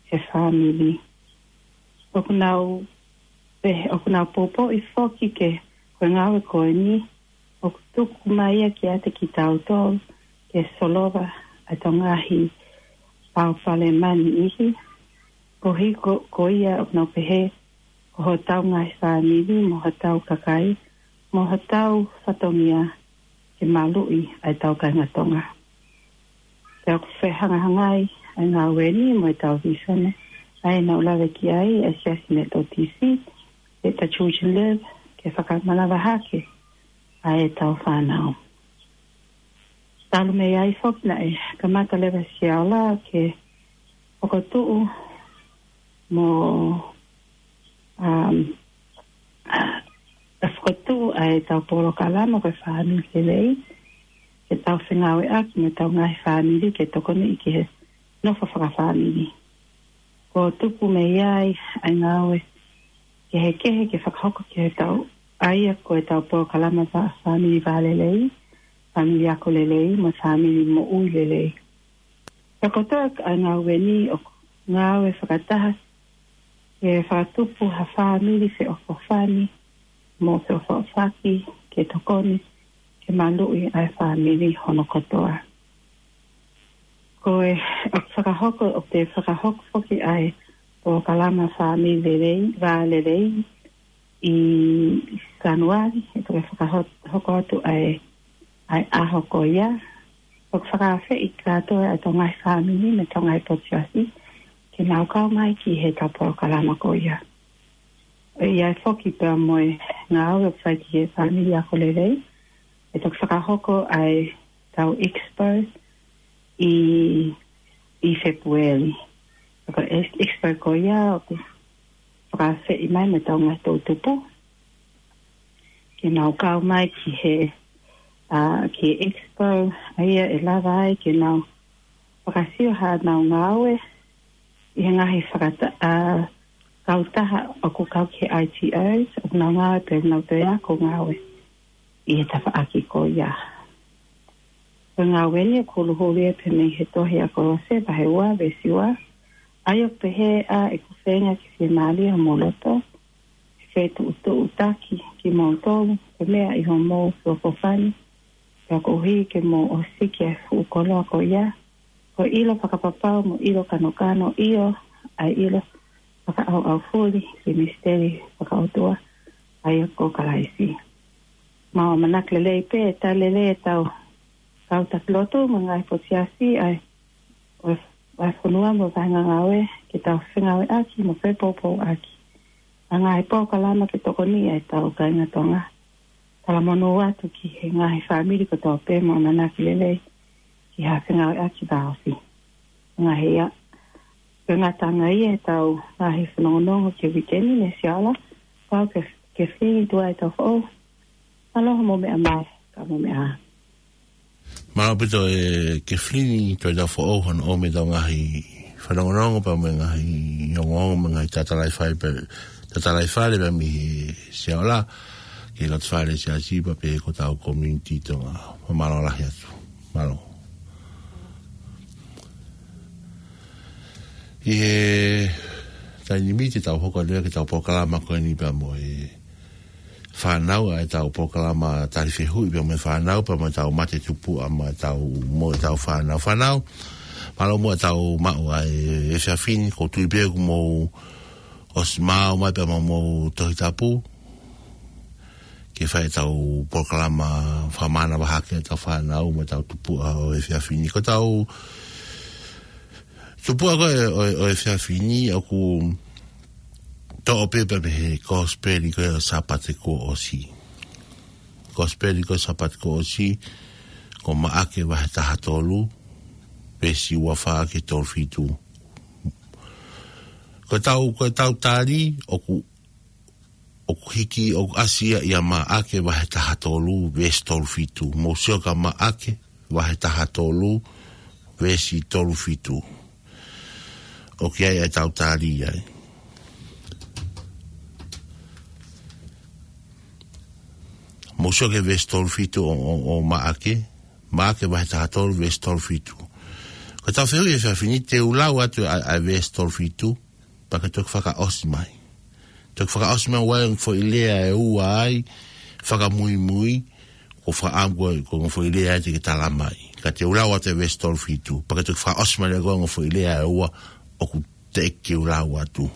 he fāmili. ʻOku nau, pe, ʻoku nau poupouʻi foki ke, ko e ngāue ko eni, ʻoku tuku mai ia kiate kitautolu ke solova ʻetau ngaahi pau falemani ihi. Koeʻuhi ko, ko ia ʻoku nau pehē, ko hotau ngaahi fāmili, mo hotau kakai, mo hotau fatongia, ke maluʻi ʻa ʻetau kāinga Tonga. Pea ʻoku fehangahangai ʻa e ngāue ni mo ʻetau vīsone, ʻa ia naʻa ku lave ki ai, ʻa e Siasi Metotisi, Let the Children Live, ke fakamanava hake ʻa ʻetau fānau. Talu mei ai foki naʻe kamata leva ʻa Siaola ke fokotuʻu mo, um, ʻa, fokotuʻu ʻa ʻetau polokalama ko e Fāmili Lelei, ke tau fengāueʻaki mo ʻetau ngaahi fāmili ke tokoniʻi ki he nofo fakafāmili. Kuo tupu mei ai ʻa e ngāue kehekehe ke fakahoko ki heʻetau, ʻa ia ko ʻetau polokalama fā-, fāmili vālelei, fāmili ako lelei, mo e fāmili moʻui lelei. Pea ko e kotoa ʻa e ngāue ni ʻoku ngāue fakataha ke fakatupu ha fāmili feʻofoʻofani mo feʻofoʻofaki ke tokoni ke maluʻi ʻa e fāmili hono kotoa. Ko e, ʻoku fakahoko, ʻoku te fakahoko foki ʻa e polokalama fāmili lelei, vālelei, ʻi Sānuali, ʻe toki fakahoko atu ʻa e, ʻa e ʻaho ko ia. ʻOku fakaafeʻi kātoa ʻa e ngaahi fāmili mo e ngaahi potu siasi ke nau kau mai ki heʻetau polokalama ko ia. ʻE ʻi ai foki pea mo e ngāue ʻoku fai ki he fāmili ako lelei, ʻe toki fakahoko ʻa ʻetau expo ʻi, ʻi Fēpueli. Ko e ex-, expo ko ia ʻoku fakaafeʻi mai mo ʻetau ngaahi toʻutupu ke nau kau mai ki he, ʻa, ki he expo, ʻa ia ʻe lava ai ke nau fakasio haʻanau ngāue ʻi he ngaahi fakata-, ʻa, kautaha ʻoku kau ki he I T Os, ʻoku nau ngāue pea nau toe ako ngāue ʻi he tafaʻaki ko ia. Ko e ngāue ni ʻoku huluhulu ia pē mei he tohi ʻa Kolose vahe ua veesi ua, ʻa ia ʻoku pehē, ʻa ʻeku feinga ke fiemālie homou loto, ke fetuʻutuʻutaki kimoutolu, ko e meʻa ʻi homou feʻofoʻofani, pea koeʻuhi ke mou ʻosiki ʻa e fuʻu koloa ko ia, ko e ʻilo fakapapau mo e ʻilo kanokano, ʻio, ʻa e ʻilo fakaʻauʻaufuli ki he misiteli fakaʻotua, ʻa ia ko Kalaisi. Mau ʻamanaki lelei pē, tali lelei ʻetau kau taki lotu mo e ngaahi potu siasi, ʻa e, ʻo e, ʻa e fonua mo e vahenga ngāue, ke tau fengāueʻaki mo fepoupouʻaki ʻa e ngaahi polokalama ke tokoniʻi ʻa ʻetau kāinga Tonga. Talamonū atu ki he ngaahi fāmili kotoa pē mo e ʻamanaki lelei ki ha fengāueʻaki vāofi. Ngaahi ia, ko e ngataʻanga ia ʻetau ngaahi fanongonongo ki he uike ni, ne Siaola, pau ke, ke fili tuai ʻetau foʻou. Mālō hoʻomou meʻa mai, ka mou meʻa ā. Mālō ʻaupito ʻe Kefilini Tuaitaufoʻou hono ʻomai ʻetau ngaahi fanongonongo pea mo e ngaahi ongoongo mo e ngaahi tatalaifale pē, tatalaifale pē mei he Siaola, ki he loto fale siasi pea pehē ki hotau community Tonga. Mālō lahi atu. Mālō. ʻI he taimi ni te tau hoko atu ki heʻetau polokalama ko eni pea mo e fānau, ʻa ʻetau polokalama tali fehuʻi pea mo e fānau, pea mo ʻetau mate tupuʻa mo ʻetau, mo ʻetau fānau. Fānau, mālō muʻa ʻetau maʻu ʻa e efiafi ni, ʻoku ou tui pē kuo mou ʻosi maʻu mai pea mo hoʻomou Tohi Tapu ke fai ʻetau polokalama fakamānava hake ʻetau fānau mo ʻetau tupuʻa ʻo e efiafi ni. Ko ʻetau tupuʻa ko ē ʻo, ʻo e efiafi ni ʻoku toʻo pē pea mei he Kosipeli ko ē ʻo e Sāpate kuo ʻosi. Kosipeli ko ē ʻo e Sāpate kuo ʻosi, ko Maʻake vahe taha tolu, veesi ua fā ki he tolu fitu. Ko ʻetau, ko ʻetau tali, ʻoku, ʻoku hiki, ʻoku ʻasi ia ʻia Maʻake vahe taha tolu, veesi tolu fitu. Mou sio kia Maʻake vahe taha tolu, veesi tolu fitu. ʻOku ʻi ai ʻetau tali ai. Mou sio ki he veesi tolu fitu ʻo, ʻo, ʻo Maʻake, Maʻake vahe taha tolu, veesi tolu fitu. Ko ʻetau fehuʻi he efiafi ni, te u lau atu ʻa, ʻa e veesi tolu fitu, pea ke toki fakaʻosi mai. Toki fakaʻosi mai ʻoku ʻi ai e ongo foʻi lea ʻe ua ai, fakamuimui, ʻoku ou fakaʻamu ko e ongo foʻi lea ia te ke tala mai. Ka te u lau atu e veesi tolu fitu, pea ke toki fakaʻosi mai leva ko e ongo foʻi lea ʻe ua ʻoku teʻeki ke u lau atu.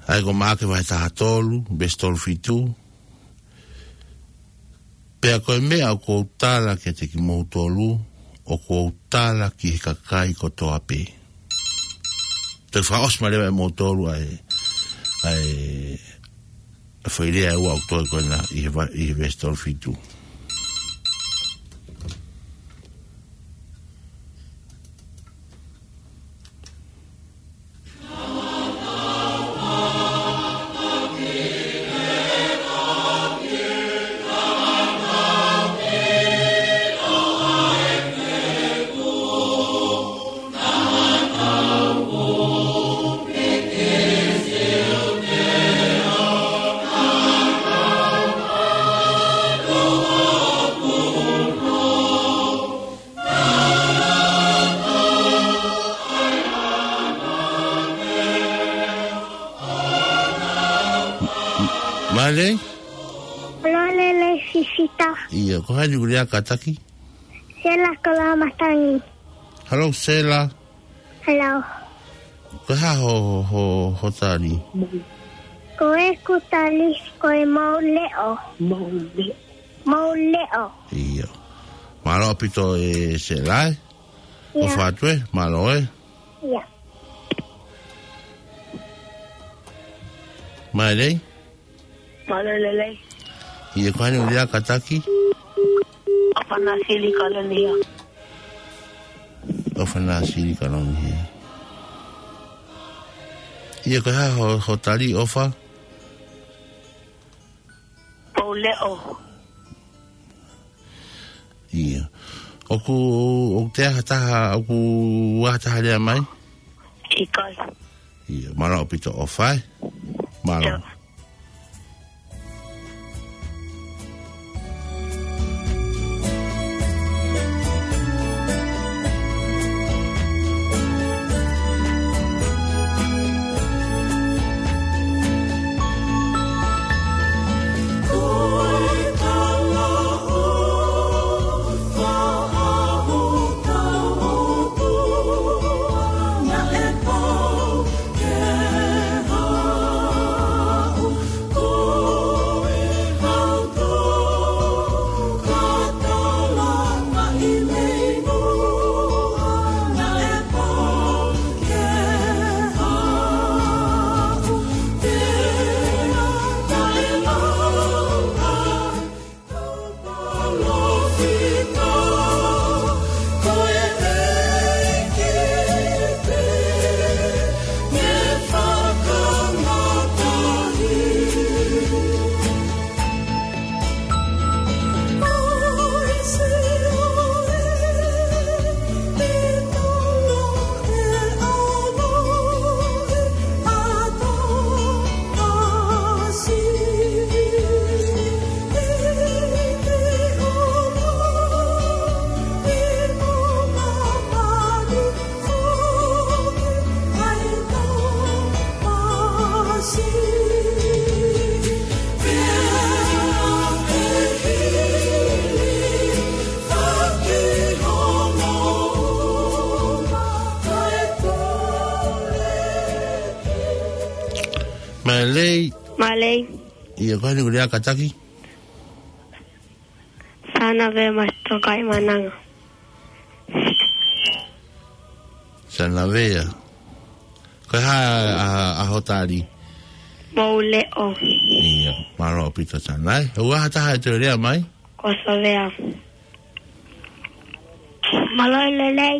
ʻA ia ko Maʻake vahe taha tolu, veesi tolu fitu, Pea ko e meʻa ʻoku ou tala kiate kimoutolu, ʻoku ou tala ki he kakai kotoa pē. Toe fakaʻosi mai leva ʻe moutolu ʻa e, ʻa e, ʻa e foʻi lea ʻe ua ʻoku toe ko ena ʻi he va-, ʻi he veesi tolu fitu. Mālō. Mālō e lelei Sisita. ʻIo, ko hai ʻoku lea kātaki? Sela Koloamatangi. Hello, Sela. Hello. Ko e hā ho, ho, ho tali? Ko ʻeku tali, ko e mou leʻo. Mou leʻo. Mou leʻo. ʻIo. Mālō ʻaupito ē Sela ē. ʻIo. ʻOfa atu ē, mālō ē. ʻIo. Mālō. Mālō e lelei. ʻIo, ko hai ʻoku lea kātaki? ʻOfa Nāsili Kalonia. ʻOfa Nāsili Kalonia. ʻIo, ko e hā ho, ho tali ʻOfa? Mou leʻo. ʻIo. ʻOku, ʻoku toe ʻi ai ha taha, ʻoku ʻi ai ha taha lea mai? ʻIkai. ʻIo, mālō ʻaupito ʻOfa ē. Mālō. ʻIo. Mālei. ʻIo, ko eni ʻoku lea kātaki? Sana Vea Masitokai Mananga. Sana Vea. Ko e hā ʻa, ʻa hoʻo tali? Mou leʻo. ʻIo, mālō ʻaupito Sana, ē. ʻOku ʻi ai ha taha ʻe toe lea mai? Ko Sovea. Mālō e lelei.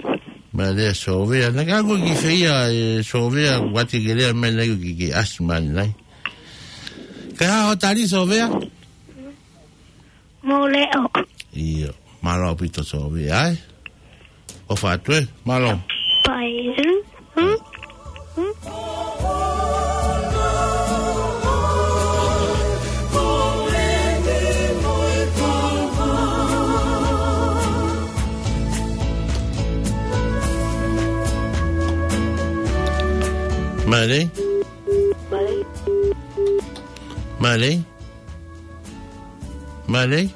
Mālō e Sovea. Naʻa ke ʻalu ki fē ia ʻe Sovea, ʻoua te ke lea mai, naʻa ke, ke ʻasi mai nai. Ko e hā hoʻo tali Sovea? Mou leʻo. ʻIo, mālō ʻaupito Sovea, ē. ʻOfa atu ē, mālō. Bye. Hmm? Hmm? Mālei? Mālei? Mālei? Mālei?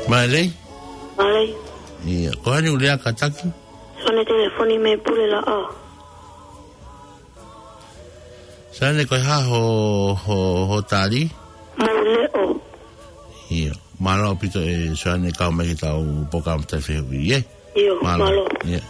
Mālei? Mālei. ʻIo, ko eni ʻoku lea kātaki? Sone telefoni mei Pulelaʻā. Sane, ko e hā hoʻo, hoʻo, hoʻo tali? Mou leʻo. ʻIo, mālō ʻaupito ē Sane, kau mai ki heʻetau polokalama tali fehuʻi, ē? ʻIo, mālō. Mālō. ʻIo.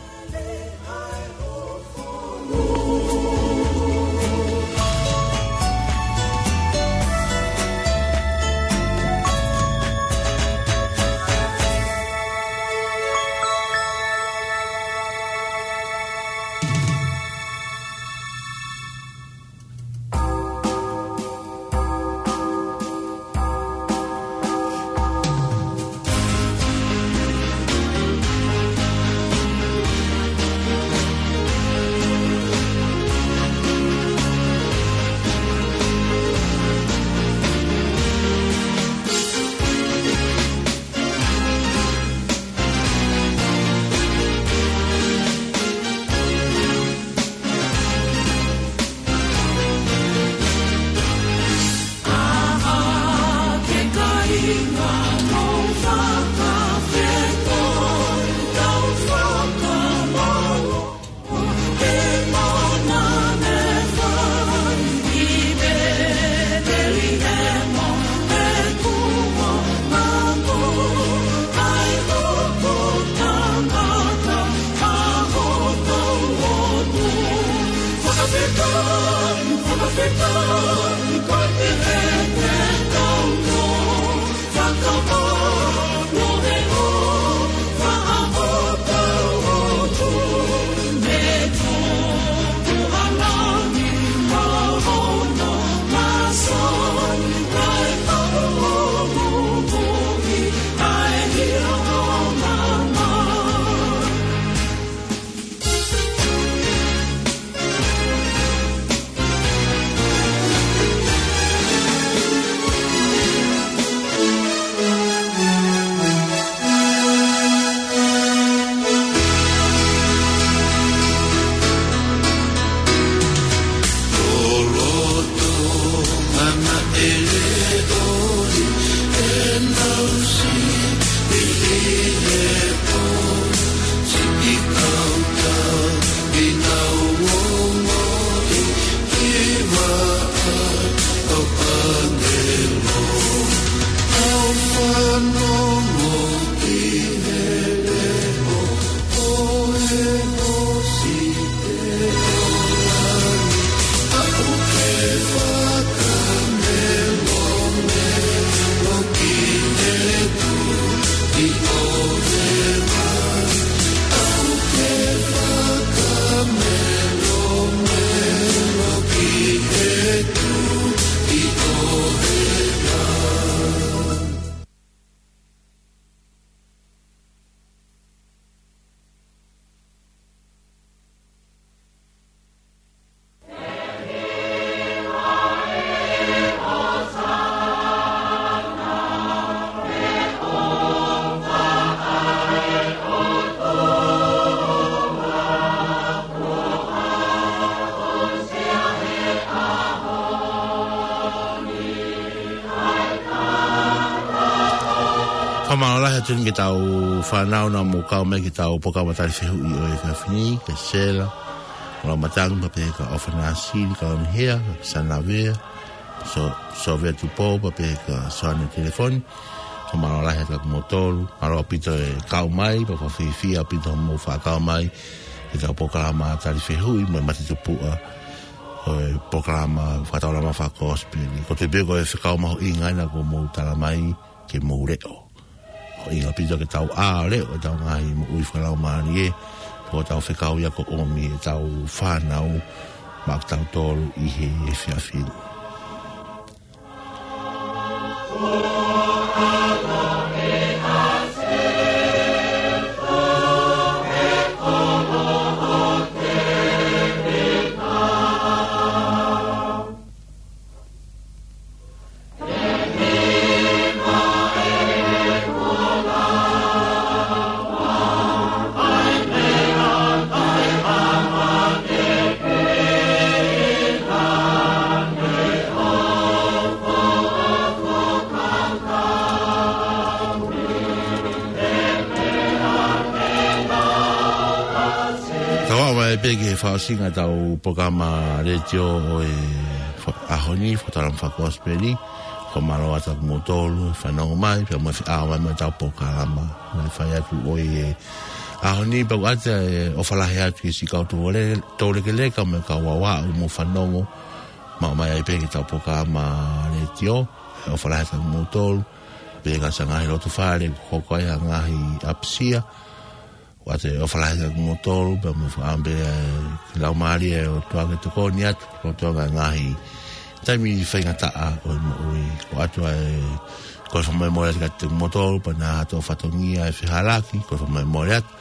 Fakamālō lahi atu ki heʻetau fānau naʻa mou kau mai ki heʻetau polokalama tali fehuʻi ʻo e efiafi ni, kia Sela Lamatangi, pea pehē kia ʻOfa Nāsili Kalaunihea, Sanavea, So-, Sovea Tupou, pea pehē kia Soane Telefoni. Fakamālō lahi atu kiate kimoutolu, mālō ʻaupito e kau mai, pea fakafiefia ʻaupito hoʻomou fakakau mai ki heʻetau polokalama tali fehuʻi mo e matatupuʻa ʻo e polokalama fakataulama fakakosipeli. Ko e tui pē ko e fekau mahuʻinga ʻena kuo mou tala mai ke mou leʻo. Mahuʻinga ʻaupito ke tau ʻā ʻo leʻo ʻetau ngaahi moʻui fakalaumālie, pea ko ʻetau fekau ia ʻoku ʻomi ʻe heʻetau fānau maʻa kitautolu ʻi he efiafi ni. Tau aʻu mai pē ki he fakaʻosinga ʻetau polokalama letiō ʻo e fa-, ʻaho ni, fakataulama fakakosipeli. Fakamālō atu kiate kimoutolu, fanongo mai, pea mo e feʻao mai mo ʻetau polokalama. Mo e fai atu ʻo e ʻaho ni, pea ʻoatu e ʻofa lahi atu ki he siʻi kau tō le-, tō lekeleka mo e kau aoao ʻoku mou fanongo. Maʻu mai ai pē ki heʻetau polokalama letiō, ʻofa lahi atu kiate kimoutolu, pea ki he ngaahi loto fale, ko e kau ʻi he ngaahi ʻapisia. ʻOatu e ʻofa lahi atu kiate kimoutolu, pea mo e fakaʻamu pē ʻa e Laumālie ʻo e ʻOtua ke tokoni atu, ʻo tokanga ngaahi taimi faingataʻa ʻo e moʻui. ʻOatu e kole fakamolemole atu kiate kimoutolu, pea naʻa tau fatongia e fehālaaki, kole fakamolemole atu.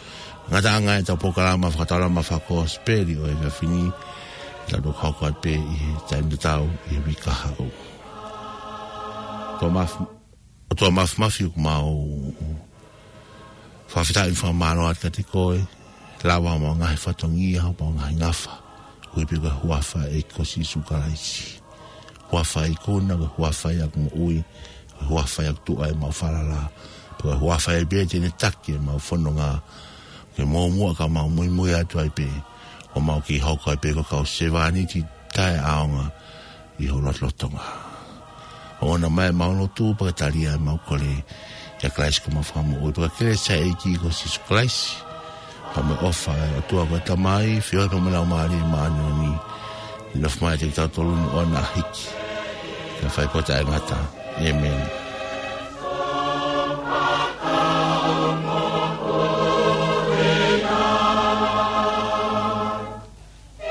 Ngataʻanga ʻetau polokalama fakataulama fakakosipeli ʻo e efiafi ni, ʻe tau toki hoko atu pē ʻi he taimi tatau ʻi he uike kahaʻu. ʻOtua maf-, ʻOtua Māfimafi, ʻoku mau fakafetaʻi mo fakamālō atu kiate koe, lava homau ngaahi fatongia, homau ngaahi ngafa, koeʻuhi pē ko e huafa ʻo e ʻEiki ko Sīsū Kalaisi. Huafa ʻoku ikuna, ko e huafa ʻoku moʻui, ko e huafa ʻoku tuʻu ai ʻemau falala, pea ko e huafa ia pē te ne taki ʻemau fononga, ke muʻomuʻa ka mau muimui atu ai pē, ʻo mau kei hoko ai pē ko e kau sevāniti taʻeʻaonga ʻi ho lotolotonga. ʻOua naʻa mei ʻemau lotu, pea ke tali ʻemau kole, ʻia Kalaisi ko homau Fakamoʻui, pea ko e kelesi ʻa e ʻEiki ko Sīsū Kalaisi, pea mo e ʻofa ʻa e ʻOtua ko e Tamai, feohi pea mo e Laumālie Māʻoniʻoni, ke nofo mai ʻiate kitautolu ni ʻo ʻoua naʻa hiki, kae fai pē ʻo taʻengata. ʻĒmeni.